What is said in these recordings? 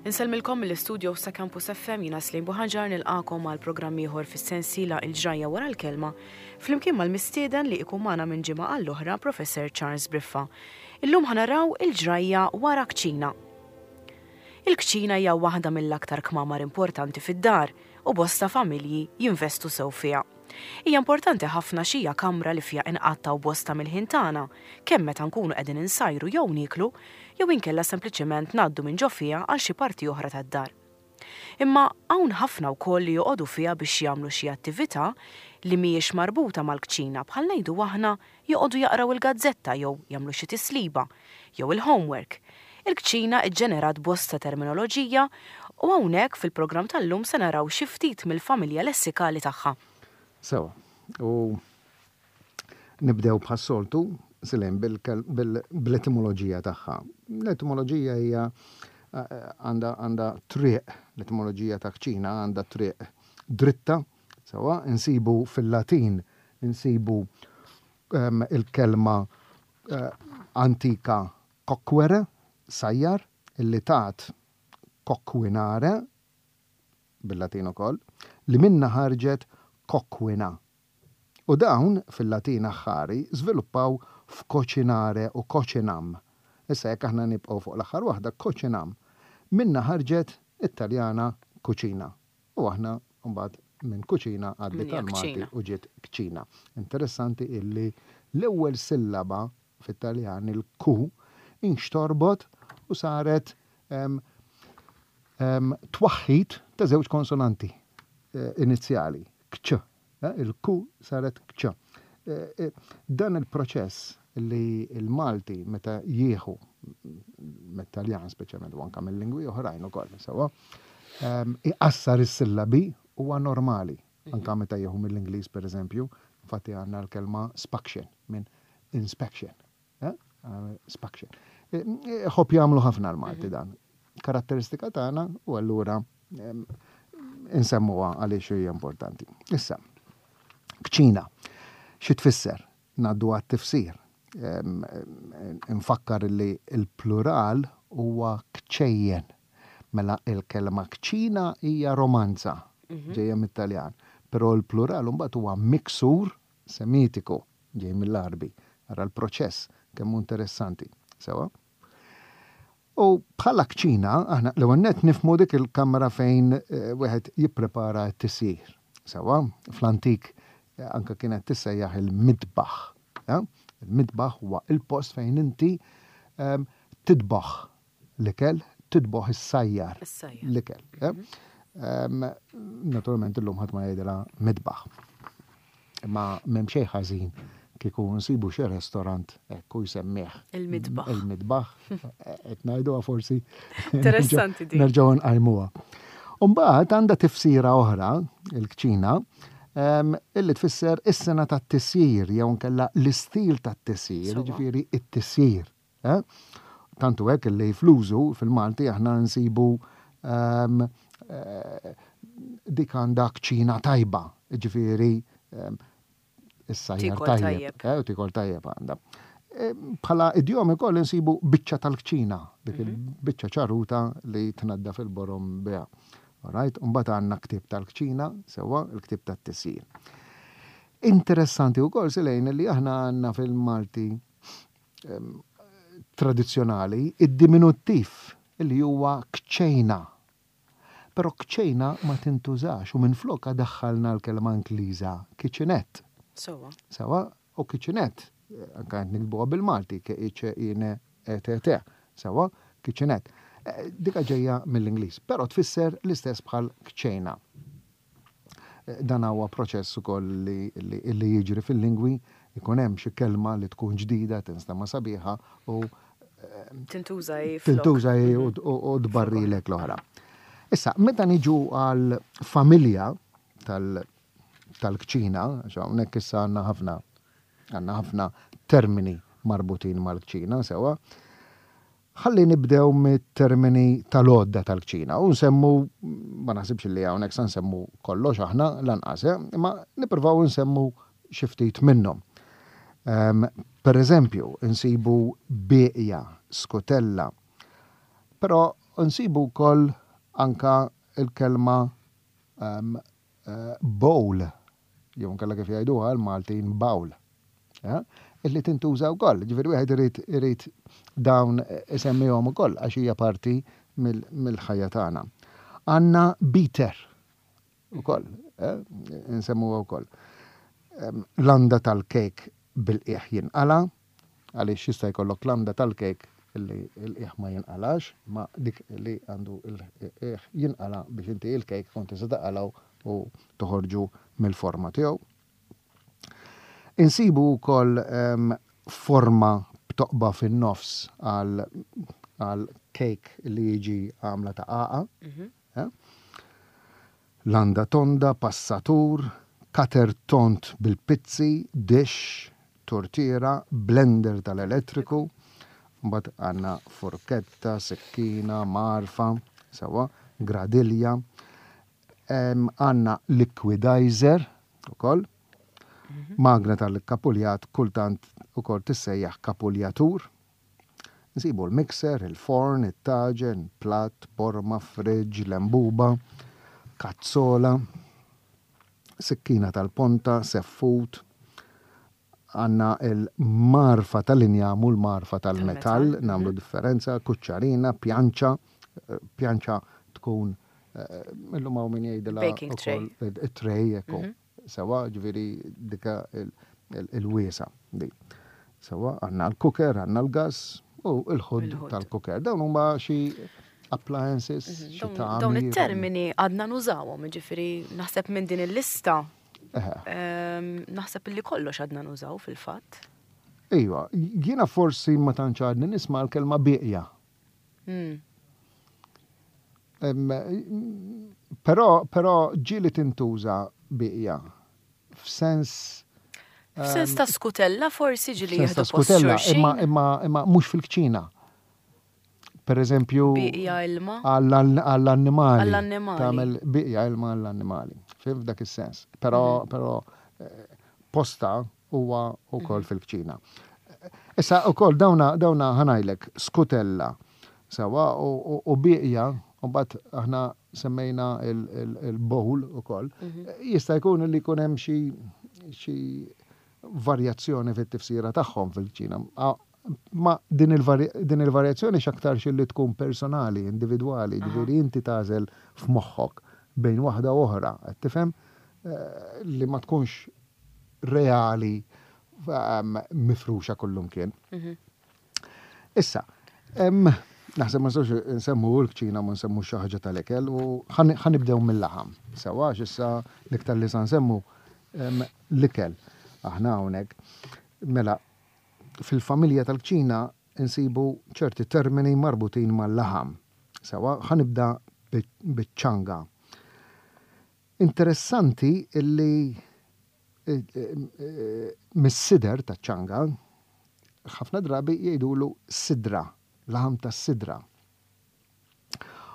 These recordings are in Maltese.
Insellmilkom mill-istudios ta' Campus FM jiena Slim Buħaġar nilqakom għal programm ieħor fis-sensiela Il-Ġrajja wara l-Kelma flimkien mal-mistieden li ikun magħna minn ġimgħa għall-oħra Professor Charles Briffa. Illum ħa naraw il-ġrajja wara kċina. Il-kċina hija waħda mill-aktar kmamar importanti fid-dar u bosta familji jinvestu sew fiha. Hija importanti ħafna għax hija kamra li fiha inqattgħu bosta mill-ħin tagħna, kemm meta nkunu qegħdin insajru jew nieklu, jew inkella sempliċement ngħaddu minn ġo fiha għal xi parti oħra tad-dar. Imma hawn ħafna wkoll li joqogħdu fiha biex jagħmlu xi attività li mhijiex marbuta mal-kċina bħal ngħidu aħna joqogħdu jaqraw il-gazzetta jew jagħmlu xi tisliba, jew il-homework. Il-kċina ġġenerat bosta terminoloġija u hawnhekk fil-programm tal-lum se naraw xi ftit mill-familja lessikali tagħha. Sewa, u nibdew bħas-soltu, Silem, bl-etimoloġija tagħha. L-etimoloġija hija għandha għandha triq, l-etimoloġija ta' kċina għandha triq dritta, sewa, insibu fil-Latin insibu il-kelma antika coquere, sajjar, illi tat coquinare, bil-Latin ukoll, li minnha ħarġet coquina. U dawn, fil-Latin aħħari, żviluppaw f'cocinare u cocinam. Issa jekk aħna nibqgħu fuq l-aħħar waħda, cocinam, minnha ħarġet it-Taljana cucina. U aħna mbagħad minn kuċina għaddiet għall-Malti u ġiet kċina. Interessanti illi l-ewwel sillaba fit-Taljan, il-ku, inxtorbot u saret twaħħid ta' żewġ konsonanti inizjali, kċ. Il-ku saret kċ. Dan il-proċess li l-Malti meta jieħu mit-Taljan speċjalment u anke mill-lingwi oħrajn ukoll, sewwa, iqassar is-sillabi huwa normali. Anke meta jieħu mill-Ingliż pereżempju, infatti għandna l-kelma spaction minn inspection. Spaction. Ħobb jagħmlu ħafna l-Malti dan. Karatteristika tagħna u allura insemmuha għaliex hija importanti. Issa, kċina, xi tfisser? Ngħaddu għat-tifsir. Infakkar li l-plural huwa kċejjen. Mela l-kelma kċina hija romanza, ġejja mit-Taljan, però l-plural imbagħad huwa miksur Semitiku, ġej mill-Għarbi. Ara l-proċess kemm hu interessanti. Sewwa? U bħala kċina, aħna l-ewwel nett nifhmu dik il-kamra fejn wieħed jipprepara t-tisjir. Sewwa? Fl-antik anke kienet tissejjaħ il-mitbaħ. Il-mitbaħ huwa il-post fejn inti titbaħ l-ikel, titboħ issajjar l-ikel. Naturalment illum ħadd ma jgħidilha mitbaħ. Imma m'hemm xejn ħażin kieku nsibu xi restorant hekk u jsemmih. Il-mitbaħ. Il-mitbaħ. Qed ngħiduha forsi. Interessanti din. Nerġgħu nqajmuha. Umbagħad għandha tifsira oħra, il-kċina, illi tfisser is-sena tat-tisjir jew nkella l-istil tat-tisjir, jiġifieri t-tisjir. Eh? Tant hu hekk li fl-użu fil-Malti aħna nsibu ehm, eh, dik għandha kċina tajba, ġifieri ehm, is-sajjar tajjeb, eh, u tikol tajjeb għandha. Eh, bħala idjomi koll insibu biċċa tal-kċina, dik mhm. il-biċċa ċaruta li tnadda fil-borom biha. Alright, mbagħad għandna ktieb tal-kċina, sewwa, il-ktieb tat-tisjir. Interessanti wkoll silejn li aħna għandna fil-Malti tradizzjonali id-diminuttiv li huwa kċejna. Però kċejna ma tintużax u minflokha daħħalna l-kelma Ingliża kitchenette. Sewwa. Sewwa, u kitchenette, anke qed niktbuha bil-Malti, k-i-ċ-i-n-e-t-t, sewwa, kitchenette. Dika ġejja mill-Ingliż, però tfisser l-istess bħal kċejna. Dan huwa proċess ukoll li jiġri fil-lingwi, ikun hemm xi kelma li tkun ġdida, tinstema' sabiħa u Tintuża hi flok. Tintuża hi u tbarrilek l-oħra. Issa, meta niġu għal familja tal-kċina, għax hawnhekk issa għandna ħafna għandna ħafna termini marbutin mal-kċina, sewwa. Ħalli nibdew mit-termini tal-għodda tal-kċina u nsemmu, ma naħsibx li hawnhekk sa nsemmu kollox aħna lanqas, eh, imma nippruvaw nsemmu xi ftit minnhom. Ehm, per eżempju, nsibu bieqja, skutella. Però Nsibu wkoll anka l-kelma bowl, jew inkella kif jgħiduha l-Maltin bawl, illi tintuża wkoll. Ġifieri wieħed irid irid dawn isemmihom ukoll għax hija parti mill-ħajja tagħna. Għandna beater ukoll, insemmuha wkoll. Landa tal-kejk bil-qiegħ jinqala', għaliex jista' jkollok landa tal-kejk li l-qiegħ ma jinqalax, imma dik li għandu l-qiegħ jinqala' biex inti l-kejk tkun tista' taqalgħu u toħorġu mill-forma tiegħu. Insibu wkoll forma b'toqba fin-nofs għal kejk li jiġi għamla ta' qagħqa. Landa tonda, passatur, cutter tond bil-pizzi, dish, tortiera, blender tal-elettriku, mbagħad għandna furketta, sikkina, mgħarfa, sewwa, gradilja, għandna liquidizer ukoll, magna tal-kapuljat kultant ukoll tissejjaħ kapuljatur. Nsibu l-mixer, il-forn, it-taġen, platt, borma, fridge, lembuba, kazzola, sikkina tal-ponta, seffut, għandna l-mgħarfa tal-injam u l-mgħarfa tal-metall, nagħmlu differenza, kuċċarina, pjanċa, pjanċa tkun illum hawn min jgħidilha Baking tray. Tray, ekku. Sewwa, ġifieri dika il-wiesgħa di. Sewwa, għandna l-cooker, għandna l-gas u l-hood tal-cooker. Dawn huma xi appliances, xi tagħmir. Dawn it-termini għadna nużawhom, ġifieri naħseb minn din il-lista. Naħseb li kollox għadna nużaw fil-fatt. Iva, jiena forsi ma tantx għadni nisma' l-kelma bieqja. Però, però ġieli tintuża bieqja f'sens F'sens ta' skutella forsi ġieli jieħdu skutella, imma imma imma mhux fil-kċina. Per eżempju, bieqja ilma għall-annimali. Għall-annimali. Tagħmel bieqja ilma għall-annimali. Fim f'dak is-sens. Però però posta huwa wkoll fil-kċina. Issa wkoll dawna dawna ħa ngħidlek skutella sewwa u bieqja u mbagħad aħna semmejna il-bowl ukoll. Jista' jkun li jkun hemm xi xi varjazzjoni fit-tifsira tagħhom fil-kċina. Ma din il-varjazzjoni x'aktarx li tkun personali, individwali, ġifieri inti tagħżel f'moħħok bejn waħda u oħra, qed tifhem? Li ma tkunx reali mifruxa kullumkien. Issa, naħseb ma nistgħux nsemmu l-kċina ma nsemmu xi ħaġa tal-ikel u ħanibdew mill-laħam. Sewa għax issa l-iktar li sa nsemmu l-ikel aħna hawnhekk. Mela, fil-familja tal-kċina nsibu ċerti termini marbutin mal-laħam. Sewa, ħanibda biċ-ċanga. Interessanti illi mis-sider taċ-ċanga, ħafna drabi jgħidulu sidra, laħam tas-sidra.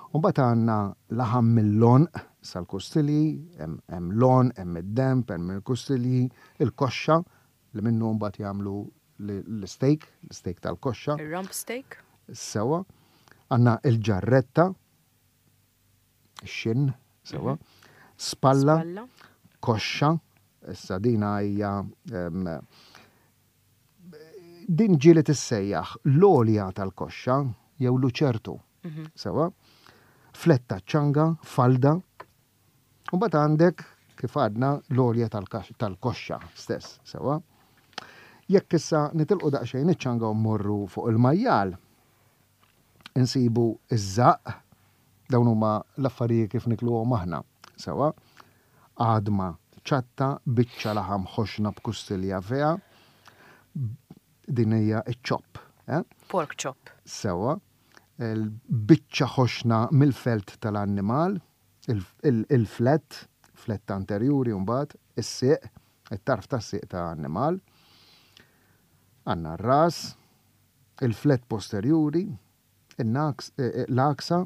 U mbagħad għandna laħam mill-għonq sal-kustilji, hemm l-għonq, hemm id-denb, hemm il-kustilji, il-koxxa li minnu mbagħad jagħmlu l-steak, l-steak tal-koxxa. Ir-rump steak. Sewwa. Għandna l-ġarretta, xin, sewa, spalla, koxxa, issa dina hija din ġieli tissejjaħ l-għolja tal-koxxa jew luċertu, sewa, fletta ċanga, falda, u mbagħad għandek kif għadna l-għolja tal-koxxa stess, sewa. Jekk issa nitilqu daqsxejn iċ-ċanga u mmorru fuq il-majjal, insibu ż-żaqq, dawn huma l-affarijiet kif nikluhom aħna, sewwa, għadma ċatta, biċċa laħam ħoxna b'kustilja fiha, din hija ċ-chop, eh? Pork chop. Sewwa, biċċa ħoxna mill-felt tal-annimal, il-flett, flett anterjuri mbagħad, is-sieq, it-tarf tas-sieq ta' annimal. Għandna r-ras, il-flett posterjuri, l-għaksa,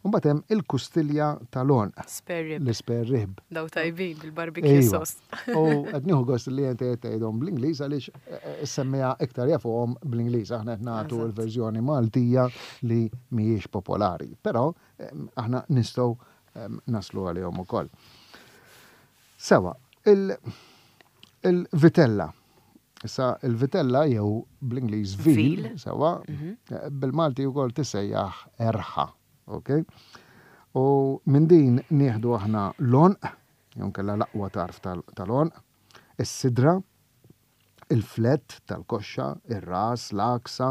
U mbagħad hemm il-kustilja tal-għonq. Spare rib. L-ispare rib. Daw tajbin bil-barbecue Iva. sauce. U qed nieħu gost li inti qed tgħidhom bl-Ingliż għaliex eh, eh, semmija iktar jafuhom bl-Ingliż. Aħna qed nagħtu Eżatt. l-verżjoni Maltija li mhijiex popolari. Però aħna nistgħu naslu għalihom ukoll. Sewa, il-vitella. Issa il-vitella jew bl-Ingliż veal, Veal. sewa, eh, bil-Malti wkoll tissejjaħ erħa, ok? U minn din nieħdu aħna l-għonq, jew nkella l-aqwa tarf tal-għonq, is-sidra, il-flett tal-koxxa, ir-ras, l-għaksa,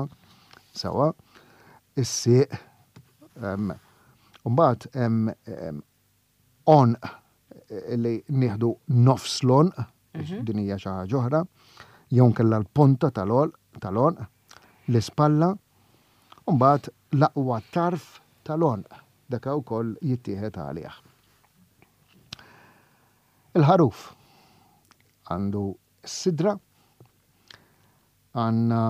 sewa, is-sieq, u mbagħad hemm għonq li nieħdu nofs l-għonq, din hija xi ħaġa oħra, jew nkella l-ponta tal-għonq, l-ispalla, u mbagħad l-aqwa tarf tal-għonq, dak ukoll jittieħed għalih. Il-ħaruf għandu s-sidra, għandna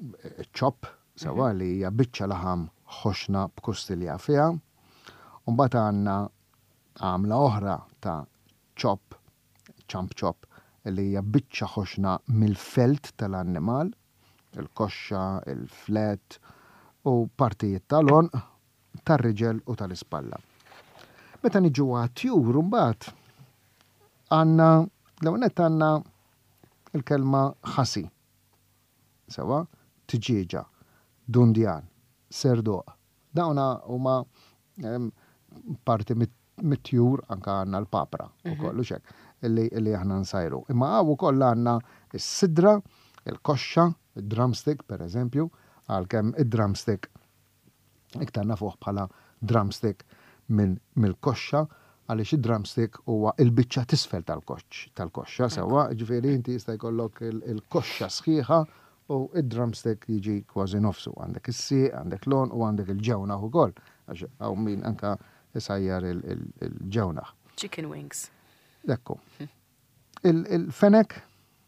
il-ċopp, sewa li hija biċċa laħam ħoxna b'kustilja fiha, u mbagħad għandna għamla oħra ta' ċopp, ċamp ċopp, li hija biċċa ħoxna mill-felt tal-annimal, il-koxxa, il-flet u partijiet tal-għonq, tar-riġel u tal-ispalla. Meta niġu għat-tjur mbagħad għandna l-ewwel nett għandna il-kelma ħasi. Sewa, tiġieġa, dundjan, serduq. Dawna huma parti mit-tjur, anka għandna l-papra u kollu xek, illi aħna nsajru. Imma hawn ukoll għandna s-sidra, il-koxxa, il-drumstick per eżempju, għalkemm id-drumstick iktar nafuh bħala drumstick minn mill-koxxa, għaliex id-drumstick huwa il-biċċa tisfel tal-koxxa, sewa, ġifieri inti jista' jkollok il-koxxa sħiħa u id-drumstick jiġi kważi nofsu. Għandek is-sieq, għandek l-għonq u għandek il-ġewnaħ ukoll, għax hawn min anka isajjar il-ġewnaħ. Chicken wings. Ekku. Il-fenek,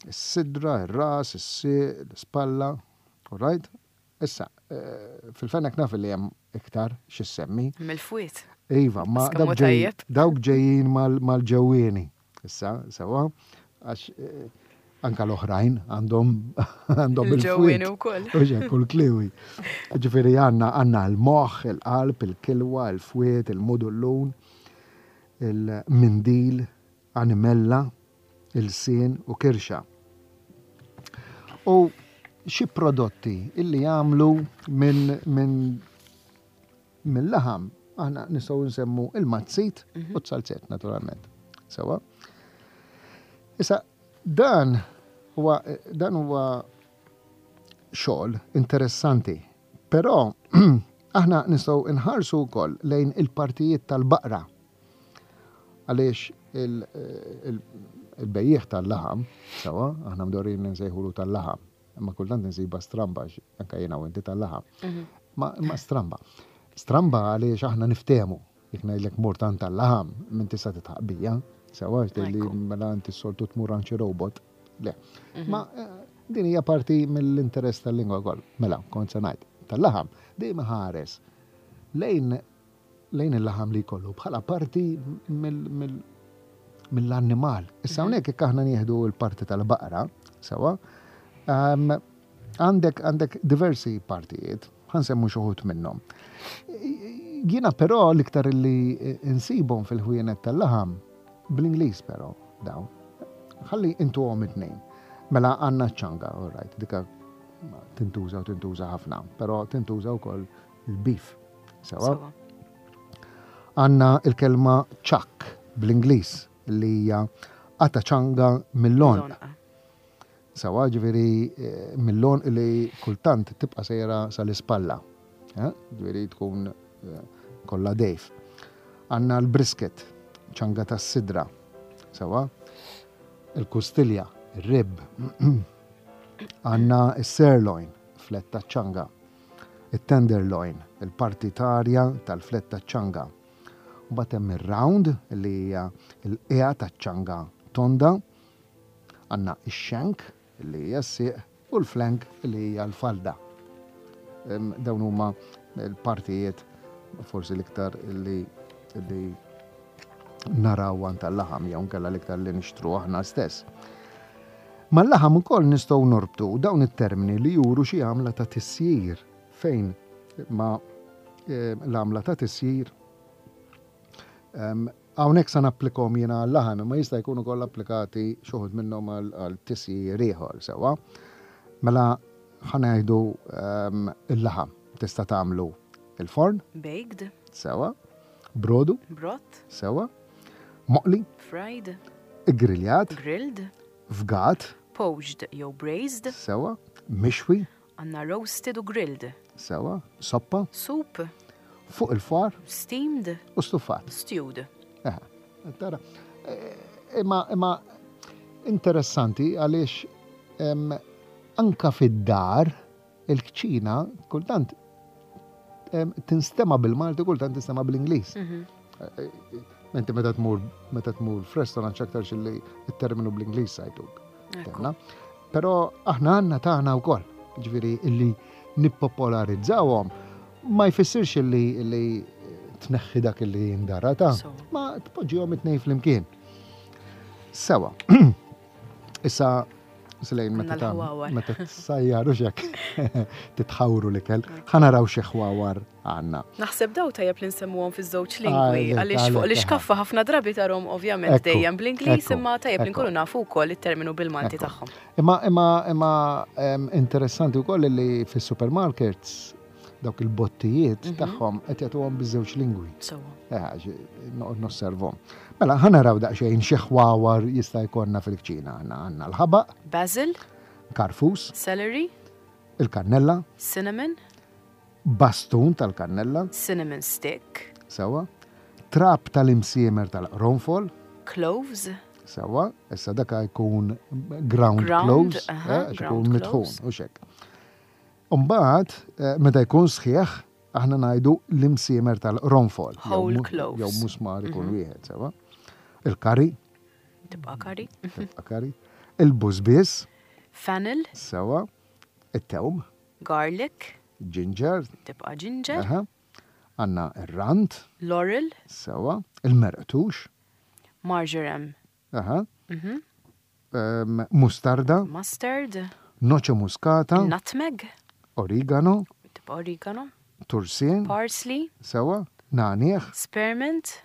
is-sidra, ir-ras, is-sieq, l-ispalla, all right? Issa, fil-fenek naf li hemm iktar x'issemmi. Mill-fwiet. Iva, ma Skemmu tajjeb. dawk ġejjin mal-ġewwieni. Issa, sewa, għax anka l-oħrajn għandhom il-fwiet. Il-ġewwieni wkoll. U ġej, kull kliwi. Ġifieri għandna l-moħħ, il-qalb, il-kilwa, il-fwiet, il-mudullun, il-mindil, animella, il-sien u kirxa. U xi prodotti illi jagħmlu mill-laħam, aħna nistgħu nsemmu il-mazzit u t-salzett naturalment. Sewa. Issa dan huwa xogħol interessanti, però aħna nistgħu nħarsu wkoll lejn il-partijiet tal-baqra. Għaliex il-bejjiegħ tal-laħam, sewa, aħna mdorin nsejħulu tal-laħam, imma kultant insiba stramba, anka jiena u inti tal-laħam. Ma stramba. Stramba għaliex aħna niftehmu. Jekk ngħidlek mur tant tal-laħam, minn tista' titħaq bija, sewa, għax tgħidli mela inti s-soltu tmur għand xi robot. Le. Ma din hija parti mill-interess tal-lingwa wkoll. Mela, kont se ngħid, tal-laħam dejjem ħares lejn il-laħam li jkollu bħala parti mill-annimal. Issa hawnhekk jekk aħna nieħdu l-parti tal-baqra, sewa, għandek diversi partijiet, ħansemmu xi wħud minnhom. Jiena però l-iktar li insibhom fil-ħwienet tal-laħam, bl-Ingliż però dawn. Ħalli intuhom it-tnejn. Mela għandna ċ-ċanga, all right, dika tintuża u tintuża ħafna, però tintuża wkoll il-beef. Sewa? Sewa. Għandna il-kelma chuck bl-Ingliż li hija qata ċanga mill-għonq. Mill-għonq. Sewa, ġifieri mill-għonq li kultant tibqa' sejra sal-ispalla. Ġifieri tkun kollha dejf. Għandna l-brisket, ċanga tas-sidra. Sewa? Il-kustilja, il-rib. Għandna s-sirloin, fletta ċanga. Il-tenderloin, il-partitarja tal-fletta ċanga. Mbagħad hemm ir-round li hija l-qiegħa taċ-ċanga tonda. Għandna ix-shank li hija s-sieq u l-flank li hija l-falda. Dawn huma l-partijiet forsi l-iktar li li naraw għand tal-laħam jew nkella l-iktar li nixtru aħna stess. Mal-laħam ukoll nistgħu norbtu dawn it-termini li juru xi għamla ta' tisjir fejn ma eh, l-għamla ta' tisjir Hawnhekk sa napplikhom jiena għal-laħam imma jista' jkun ukoll applikati xi wħud minnhom għal tisjir ieħor sewwa. Mela ħa ngħidu il-laħam tista' tagħmlu il-forn. Baked. Sewwa. Brodu. Broth. Sewwa. Moqli. Fried. Igriljat. Grilled. Fgat. Poached jew braised. Sewwa. Mixwi. Għandna roasted u grilled. Sewwa. Soppa. Soup. Fuq il-fwar. Steamed. U stuffat. Stewed. Eħe. Tara. Imma imma interessanti għaliex anka fid-dar il-kċina kultant tinstema bil-Malti kultant tinstema bl-Ingliż. Mhm. Inti meta tmur meta tmur f'restaurant x'aktarx li t-terminu bl-Ingliż sajtuk. Però aħna għandna tagħna wkoll, ġifieri illi nippopolarizzawhom ma jfissirx illi illi tneħħi dak illi jindara ta' ma tpoġġihom it-tnejn flimkien. Sewa. Issa Slejn meta meta tsajjar u xek titħawru l-ikel, ħanaraw xi ħwawar għandna. Naħseb daw tajjeb li nsemmuhom fiż-żewġ lingwi għaliex fuq l-iskaffa ħafna drabi tarhom ovvjament dejjem bl-Ingliż imma tajjeb li nkunu nafu wkoll it-terminu bil-Malti tagħhom. Imma imma imma interessanti wkoll li fis-supermarkets dawk il-bottijiet mhm. tagħhom qed jagħtuhom biż-żewġ lingwi. Sewwa. Eh, noqgħod nosservhom. Mela ħa naraw daqsxejn xi ħwawar jista' jkollna fil-kċina. Għandna għandna l-ħabaq. Basil. Karfus. Celery. Il-kannella. Cinnamon. Bastun tal-kannella. Cinnamon stick. Sewwa. Trab tal-imsiemer tal-qronfol. Cloves. Sewwa, issa daka jkun ground, ground cloves, eh, ikun mitħun u xek. Umbagħad, eh, meta jkun sħiħ, aħna ngħidu l-imsiemer tal-qronfol. Whole cloves. Jew musmar ikun mhm. wieħed, sewwa. Il-kari. Tibqa' kari. Tibqa' kari. Il-bużbiż. Fennel. Sewwa. It-tewm. Garlic. Ginger. Tibqa' ginger. Aha. Għandna ir-rand. Laurel. Sewwa. Il-merqtux. Marjoram. Aha. Mhm. Um, mustarda. Mustard. Noce muscata. Nutmeg. Origano. Tibqa' origano. Tursin. Parsley. Sewwa. Nagħniegħ. Spearmint.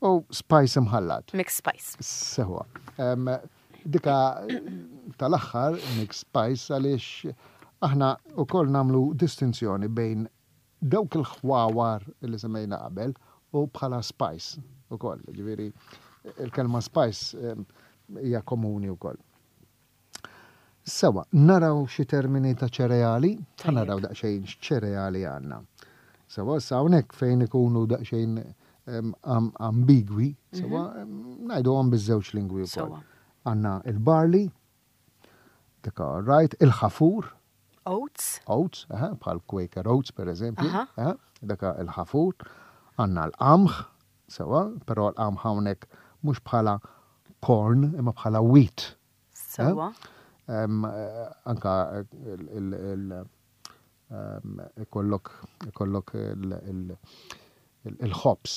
U spice imħallat. Mixed spice. Sewwa. Um, dika tal-aħħar mixed spice għaliex aħna wkoll nagħmlu distinzjoni bejn dawk il-ħwawar li semmejna qabel u bħala spice ukoll. Ġifieri il-kelma spice hija komuni wkoll. Sewa, naraw xi termini ta' ċereali, ħa naraw daqsxejn x'ċereali għandna. Sewa, sa hawnhekk fejn ikunu daqsxejn ambigwi, sewa, mhm. ngħiduhom biż-żewġ lingwi wkoll. Għandna il-barley, dik right, il-ħafur. Oats. Oats, bħal Quaker Oats per eżempju, daka il-ħafur. Għandna l-qamħ, sewa, però l-qamħ hawnhekk mhux bħala corn imma bħala wheat. Sewa. Anka ikollok ikollok il-ħobż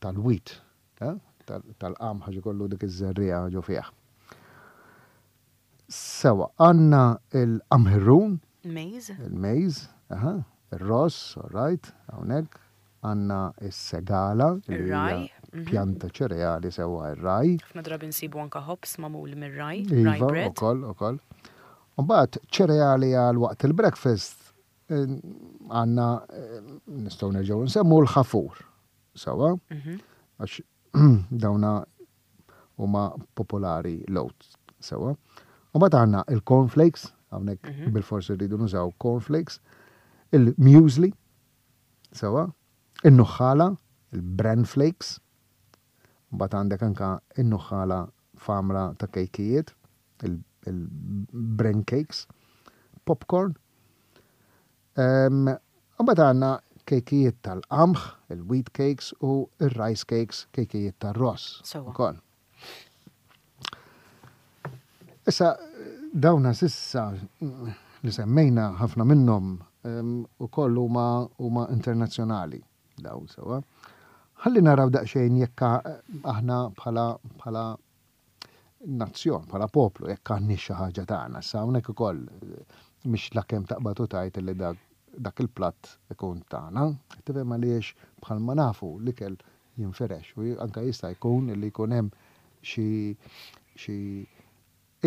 tal-wheat, tal-qamħ għax ikollu dik iż-żerriegħa ġo fih. Sewa, għandna l-qamħirrun. Maize. Il-maize, aha, ir-ross, all right, hawnhekk. Għandna s-segala, li hija Ir-rye. pjanta ċereali sewwa r-rye. Ħafna drabi nsibu anke ħobż magħmul mir-rye, rye Iva, bread. ukoll, ukoll. U mbagħad ċereali għal waqt il-breakfast għandna nistgħu nerġgħu nsemmu l-ħafur. Sewwa? Għax dawna huma popolari l-oats. Sewwa. U mbagħad għandna il-cornflakes, hawnhekk mhm. bil-forsi rridu nużaw cornflakes, il-muesli, sewwa, in-nuħħala, il-bran flakes, mbagħad għandek anka in-nuħħala f'għamla ta' kejkijiet, il-bran cakes, popcorn, Imbagħad għandna kejkijiet tal-qamħ, il-wheat cakes u r-rice cakes, kejkijiet tar-ross. Sewwa. Ukoll. Issa dawna sissa li semmejna ħafna minnhom ukoll huma huma internazzjonali. Dawn sewwa. Ħalli naraw daqsxejn jekk aħna bħala bħala nazzjon, bħala poplu, jekk għandniex xi ħaġa tagħna. Issa hawnhekk ukoll mhix lakemm taqbad u tgħid li dak dak il-platt ikun tagħna. Tifhem għaliex bħalma nafu l-ikel jinfirex u anke jista' jkun li jkun hemm xi xi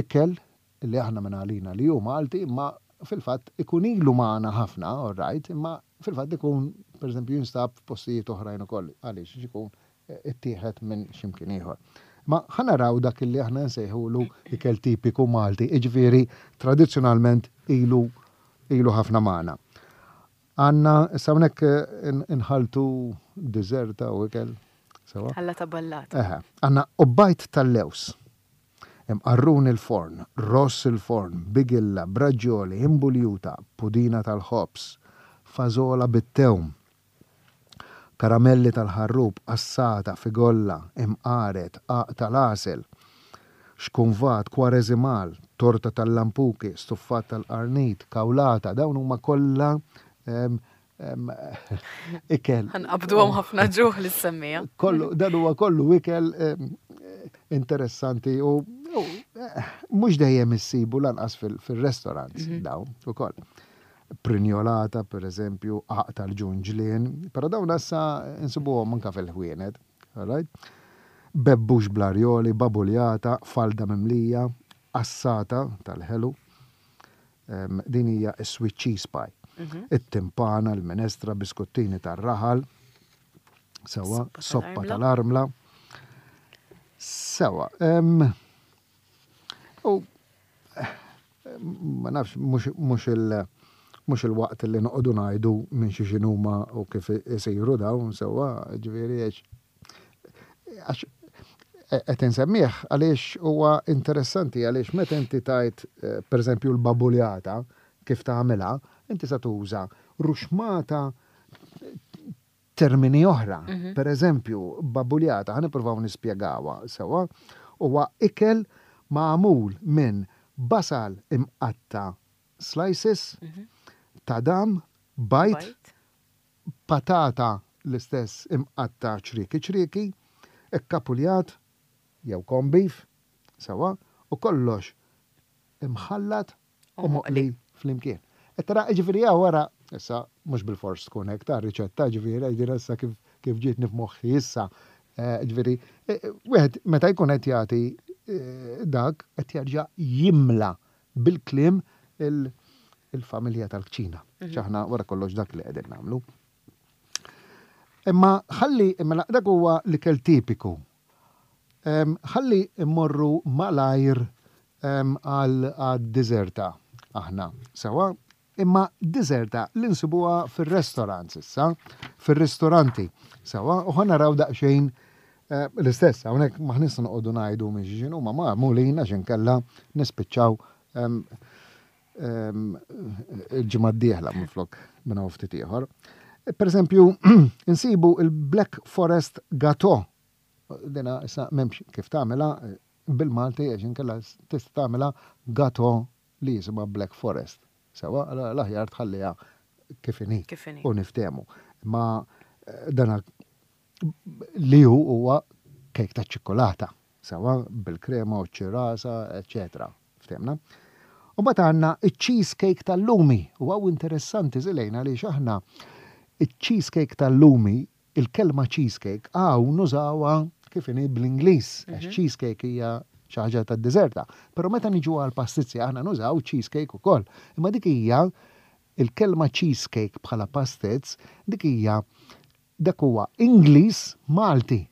ikel li aħna minn għalina li hu Malti imma fil-fatt ikun ilu magħna ħafna, all right, imma fil-fatt ikun pereżempju jinstab f'postijiet oħrajn ukoll. Għaliex? Għax ikun ittieħed minn xi mkien ieħor. Imma ħa naraw dak li aħna nsejħulu ikel tipiku Malti, jiġifieri tradizzjonalment ilu ilu ħafna magħna. Għandna, issa hawnhekk inħalltu diżerta u ikel, sewa? Ħallata ballata. Eħe. Għandna qubbajt tal-lewż. Hemm qarrun il-forn, ross il-forn, bigilla, braġġoli, imbuljuta, pudina tal-ħobż, fażola bit-tewm, karamelli tal-ħarrub, qassata, figolla, imqaret, qagħaq tal-għasel, xkunvat, kwareżimal, torta tal-lampuki, stuffat tal-qarnit, kawlata, dawn huma kollha ikel. Ħanqabduhom ħafna ġuħ li semmija. Kollu, dan huwa kollu ikel interessanti u mhux dejjem issibu lanqas fil-restaurants mhm. dawn ukoll. Prinjolata, per eżempju, qaq tal-ġunġlien, però dawn issa insibuhom anka fil-ħwienet. Right? Bebbux bl-arjoli, babuljata, falda mimlija, assata tal-ħelu, Din hija s-sweet cheese pie. Mhm. It-timpana, l-minestra, biskuttini tar-raħal, sewa, soppa tal-armla. Sewa. U ma nafx, mhux il- mhux il-waqt li noqogħdu ngħidu minn xi x'inhuma u kif isiru dawn sewwa, ġifieri għax Għax qed insemmih għaliex huwa interessanti għaliex meta inti tajt eh, pereżempju l-babuljata kif tagħmilha, inti sa tuża ruxmata termini oħra. Mhm. Per eżempju, babuljata, ħa nippruvaw nispjegawha sewwa, huwa ikel magħmul minn basal imqatta slices, mhm. tadam, bajd, patata l-istess imqatta' ċrieki ċrieki, ikkapuljat jew corn beef, sewwa, u kollox imħallat u moqli flimkien. Qed tara, jiġifieri hawn wara, issa mhux bilfors tkun hekk ta' riċetta, jiġifieri għax din issa kif kif ġietni f'moħħi issa, jiġifieri wieħed meta jkun qed jagħti dak qed jerġa' jimla bil-kliem il-familja tal-kċina. Mhm. Aħna wara kollox dak li qegħdin nagħmlu. Imma ħalli, mela dak huwa l-ikel tipiku. Ħalli mmorru malajr għal diżerta aħna. Sewa, imma diżerta li nsibuha fir-restaurants issa, fir-ristoranti. Sewa, u ħa naraw daqsxejn eh, l-istess, hawnhekk maħnis noqogħdu ngħidu minn xi huma magħmulin għax inkella nispiċċaw il-ġimgħa d-dieħla minflok minn hawn ftit ieħor. Per eżempju, insibu il-Black Forest Gateau. Dina issa m'hemmx kif tagħmilha eh, bil-Malti għax inkella tista' tagħmilha gateau li jisimha Black Forest. Sewa, l-aħjar tħalliha kif inhi u niftehmu. Ma eh, dana li hu huwa kejk ta' ċikkulata, sewa bil-krema u ċ-ċirasa, eċċetera. Ftehmna? U mbagħad għandna iċ-cheesecake tal-lumi. U hawn interessanti Żilejna għaliex aħna iċ-cheesecake tal-lumi, il-kelma cheesecake hawn nużawha kif inhi bl-Ingliż, għax mhm. cheesecake hija xi ħaġa tad-diżerta. Però meta niġu għal pastizzi aħna nużaw cheesecake ukoll. Imma dik hija il-kelma cheesecake bħala pastizz, dik hija Dak huwa Ingliż Malti.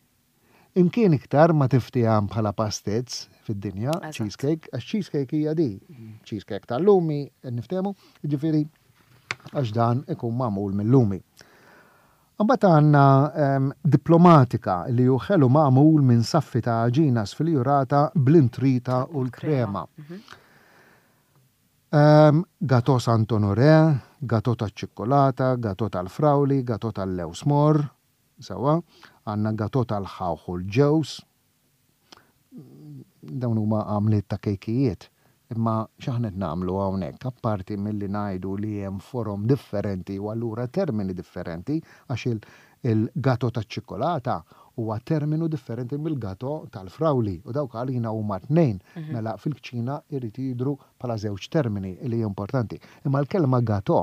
Imkien iktar ma tiftieham bħala pastizz fid-dinja, cheesecake, għax cheesecake hija di, cheesecake tal-lumi, niftehmu, jiġifieri għax dan ikun magħmul mil-lumi. Imbagħad għandna ehm, diplomatika li hu ħelu magħmul minn saffi ta' għaġina sfiljurata bl-intrita u l-krema. Mhm. Gateau Sant Honoré, gateau taċ-ċikkulata, gateau tal-frawli, gateau tal-lewż morr, sewwa, għandna gateau tal-ħawħ u l-ġewż. Dawn huma għamliet ta' kejkijiet. Imma x'aħna qed nagħmlu hawnhekk, apparti milli ngħidu li hemm forom differenti u allura termini differenti, għax Il-gato taċ-ċikkulata huwa terminu differenti mill-gato tal-frawli u dawk għalina huma tnejn, mela fil-kċina jrid jidhru bħala żewġ termini li importanti. Imma l-kelma gato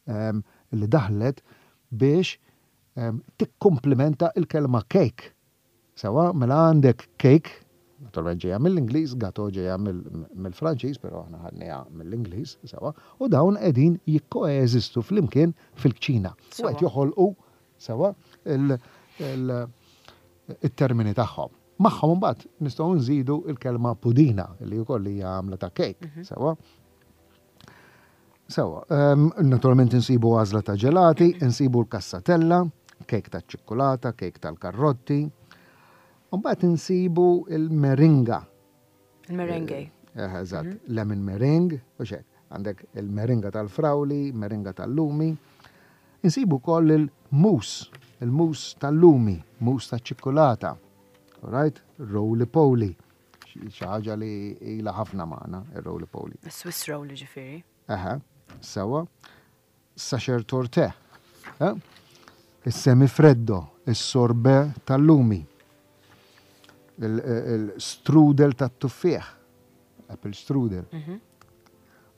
li daħlet biex tikkumplimenta l-kelma cake. Sewwa, mela għandek cake, naturalment ġejja mill-Ingliż, gateau ġejja mill-Franċiż, però aħna ħadniha mill-Ingliż, sewwa, u dawn qegħdin jikkoeżistu flimkien fil-kċina. U qed joħolqu, sewwa, it-termini tagħhom. Magħhom imbagħad nistgħu nżidu l-kelma pudina, li wkoll hija għamla ta' cake, sewwa. Sewwa, naturalment insibu għażla ta' ġelati, insibu l-kassatella, kejk taċ-ċikkulata, kejk tal-karrotti. Mbagħad insibu il-meringa. Il-merengue. Eh, eżatt, mhm. lemon meringue, u xek. Għandek il-meringa tal-frawli, meringa tal-lumi. Insibu wkoll il-mousse, il-mousse tal-lumi, mousse taċ-ċikkulata. Right? Roly poly. Xi ħaġa li ilha ħafna magħna, ir-roly poly. Swiss roll ġifieri. Eħe, sewwa. Sacher torte. Eh? Is-semi freddo, is-sorbet tal-lumi. Il-strudel tat-tuffieħ. Apple strudel. Mhm.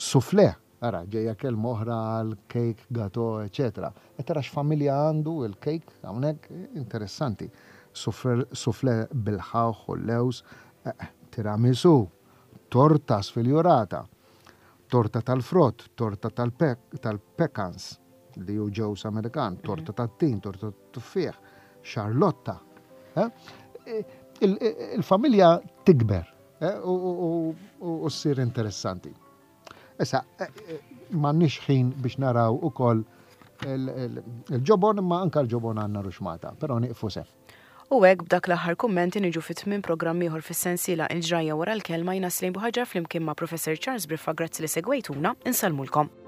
Soufflé, ara, ġejja kelma oħra għal cake, gato, eccetera. E tara x'familja għandu il-cake hawnhekk interessanti. Soufflé bil-ħawħ u l-lewż, eh, tiramisu, torta sfiljurata, torta tal-frott, torta tal-pecans, li hu ġewż Amerikan, torta tat-tin, torta tat-tuffieħ, xarlotta. Eh? Il-familja tikber eh, u ssir interessanti. Issa, eh, m'għandniex ħin biex naraw ukoll il-ġobon, imma anka l-ġobon għandna ruxmata, però nieqfu se. U hekk b'dak l-aħħar kummenti niġu fi tmiem programm ieħor fis-sensiela Il-Ġrajja Wara l-Kelma jiena Celine Buhaġar flimkien ma' Professor Charles Briffa grazzi li segwejtuna, insellmulkom.